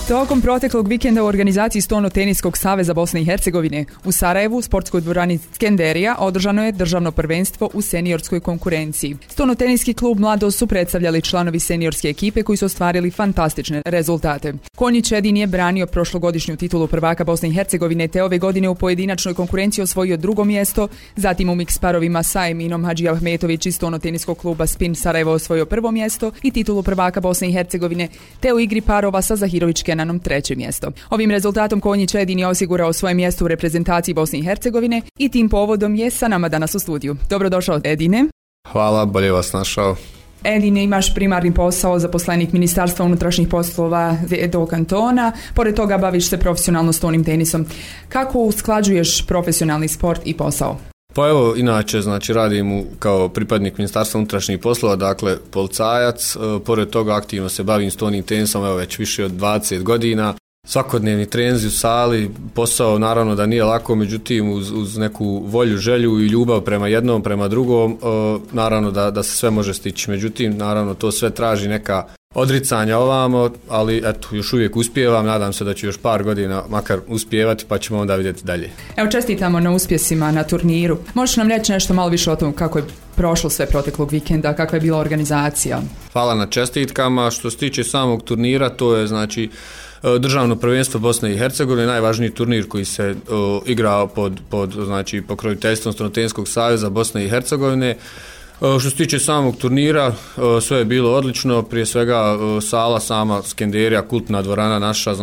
Tokom proteklog vikenda u organizaciji Stono-teniskog saveza Bosne i Hercegovine u Sarajevu, sportskoj dvorani Skenderija, održano je državno prvenstvo u seniorskoj konkurenciji. Stono-teniski klub Mladost su predstavljali članovi seniorske ekipe koji su ostvarili fantastične rezultate. Konjić Edin je branio prošlogodišnju titulu prvaka Bosne i Hercegovine, te ove godine u pojedinačnoj konkurenciji osvojio drugo mjesto, zatim u miks parovima sa Eminom Hadžiahmetović iz Stono-teniskog kluba Spin Sarajevo osvojio prvo mjesto i titulu prvaka Bosne i Hercegovine, te u igri parova sa Zahirović Kenanom treće mjesto. Ovim rezultatom Konjić Edin je osigurao svoje mjesto u reprezentaciji Bosne i Hercegovine i tim povodom je sa nama danas u studiju. Dobrodošao, Edine. Hvala, bolje vas našao. Edine, imaš primarni posao zaposlenik Ministarstva unutrašnjih poslova do kantona, pored toga baviš se profesionalno stonim tenisom. Kako usklađuješ profesionalni sport i posao? Pa evo, inače, radim kao pripadnik Ministarstva unutrašnjih poslova, dakle policajac, pored toga aktivno se bavim stonim tenisom, evo već više od 20 godina. Svakodnevni treninzi u sali, posao naravno da nije lako, međutim uz neku volju, želju i ljubav prema jednom, prema drugom, naravno da se sve može stići. Međutim, naravno to sve traži neka odricanja ovamo, ali eto, još uvijek uspijevam, nadam se da ću još par godina makar uspijevati, pa ćemo onda vidjeti dalje. Evo, čestitamo na uspjesima na turniru. Možeš nam reći nešto malo više o tom kako je prošlo sve proteklog vikenda, kakva je bila organizacija? Hvala na čestitkama. Što se tiče samog turnira, to je državno prvenstvo Bosne i Hercegovine, najvažniji turnir koji se igra pod pokroviteljstvom Stono-teniskog saveza Bosne i Hercegovine. Što se tiče samog turnira, sve je bilo odlično, prije svega sala sama Skenderija, kultna dvorana naša,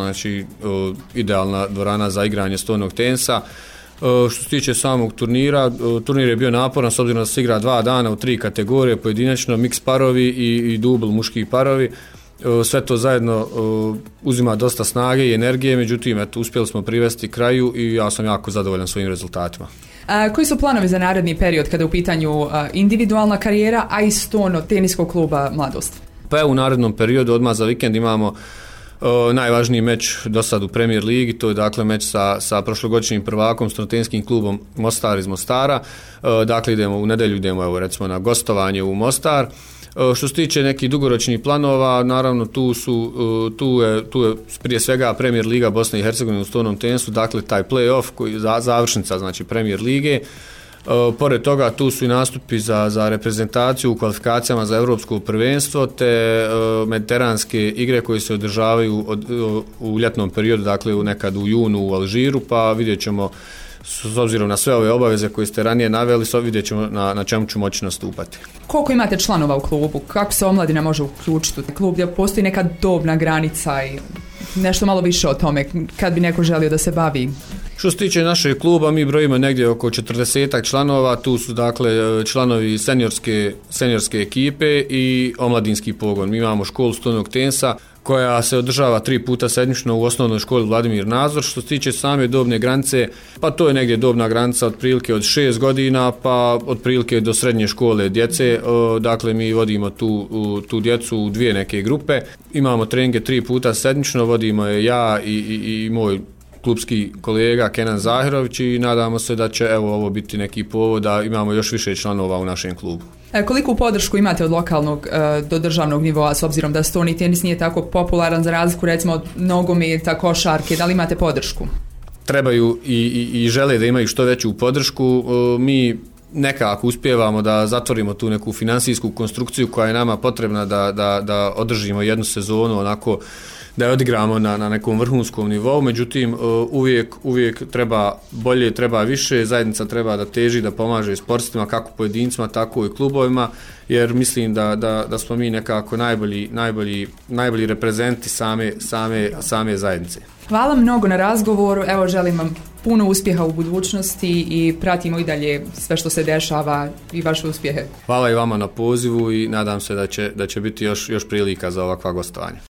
idealna dvorana za igranje stonog tenisa. Što se tiče samog turnira, turnir je bio naporan s obzirom da se igra 2 dana u 3 kategorije, pojedinačno miks parovi i dubl muški parovi. Sve to zajedno uzima dosta snage i energije, međutim uspjeli smo privesti kraju i ja sam jako zadovoljan svojim rezultatima. Koji su planovi za naredni period kada je u pitanju individualna karijera, a i Stono-teniskog kluba Mladost? Pa evo, u narednom periodu odmah za vikend imamo najvažniji meč do sad u Premier ligi, to je dakle meč sa prošlogodišnjim prvakom Stono-teniskim klubom Mostar iz Mostara. Dakle u nedjelju idemo recimo na gostovanje u Mostar. Što se tiče nekih dugoročnih planova, naravno tu je prije svega Premier liga Bosne i Hercegovine u stonom tenisu, dakle taj play-off koji je završnica Premier lige. Pored toga tu su i nastupi za reprezentaciju u kvalifikacijama za europsko prvenstvo te mediteranske igre koje se održavaju u ljetnom periodu, dakle nekad u junu u Alžiru, pa vidjet ćemo s obzirom na sve ove obaveze koje ste ranije naveli, vidjet ćemo na čemu ću moći nastupati. Koliko imate članova u klubu? Kako se omladina može uključiti u klub? Gdje postoji neka dobna granica i nešto malo više o tome kad bi neko želio da se bavi? Što se tiče našeg kluba, mi brojimo negdje oko 40 članova, tu su dakle članovi seniorske ekipe i omladinski pogon. Mi imamo školu stonog tenisa koja se održava 3 puta sedmično u osnovnoj školi Vladimir Nazor. Što se tiče same dobne granice, pa to je negdje dobna granica otprilike od 6 godina pa otprilike do srednje škole djece. Dakle, mi vodimo tu djecu u 2 neke grupe. Imamo treninge 3 puta sedmično, vodimo je ja i moj klubski kolega Kenan Zahirović i nadamo se da će ovo biti neki povod da imamo još više članova u našem klubu. Koliku podršku imate od lokalnog do državnog nivoa, s obzirom da stoni tenis nije tako popularan za razliku recimo od nogometa, košarke, da li imate podršku? Trebaju i žele da imaju što veću podršku. Mi nekako uspijevamo da zatvorimo tu neku financijsku konstrukciju koja je nama potrebna da održimo jednu sezonu onako da je odigramo na nekom vrhunskom nivou, međutim uvijek treba bolje, treba više, zajednica treba da teži, da pomaže sportstvima, kako pojedincima, tako i klubovima, jer mislim da smo mi nekako najbolji reprezenti same zajednice. Hvala mnogo na razgovoru, evo želim vam puno uspjeha u budućnosti i pratimo i dalje sve što se dešava i vaše uspjehe. Hvala i vama na pozivu i nadam se da će biti još prilika za ovakva gostovanja.